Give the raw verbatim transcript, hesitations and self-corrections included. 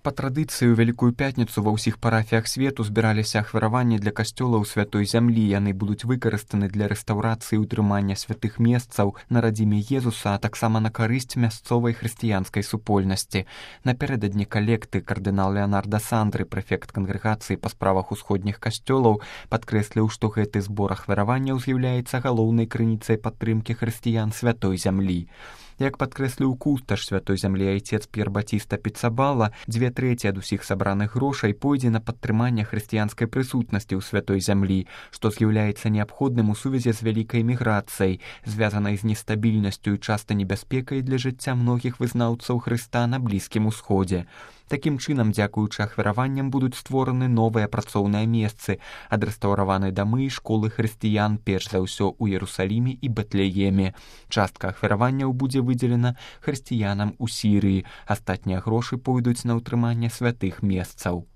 Па традыцыі ў Вялікую пятніцу ва ўсіх парафіях свету збіраліся ахвяраванні для касцёлаў святой зямлі. Яны будуць выкарыстаны для рэстаўрацыі і ўтрымання святых месцаў на радзіме Езуса, а таксама на карысць мясцовай хрысціянскай супольнасці. Напярэдадні калекты кардынал Леонарда Сандры, прэфект кангрэгацыі па справах усходніх касцёлаў, падкрэсліў, што гэты збор ахвяраванняў з'яўляецца галоўнай крыніцай падтрымкі хрысціян святой зямлі. Як падкрэсліў кусташ святой зямлі айцец П'ер Батіста Піцабала, дзве трэці ад усіх сабраных грошай пойдзе на падтрыманне хрысціянскай прысутнасці ў святой зямлі, што з'яўляецца неабходным у сувязі з вялікай міграцыяй, звязанай з нестабільнасцю і часта небяспекай для жыцця многіх вызнаўцаў Хрыста на Блізкім Усходзе. Такім чынам, дзякуючы ахвяраванням будуць створаны новыя працоўныя месцы, адрэстаўраваны дамы і школы хрысціян, перш за ўсё ў Ерусаліме і Бэтлееме. Частка ахвяраванняў будзе выдзелена хрысціянам у Сірыі, астатнія грошы пойдуць на ўтрыманне святых месцаў.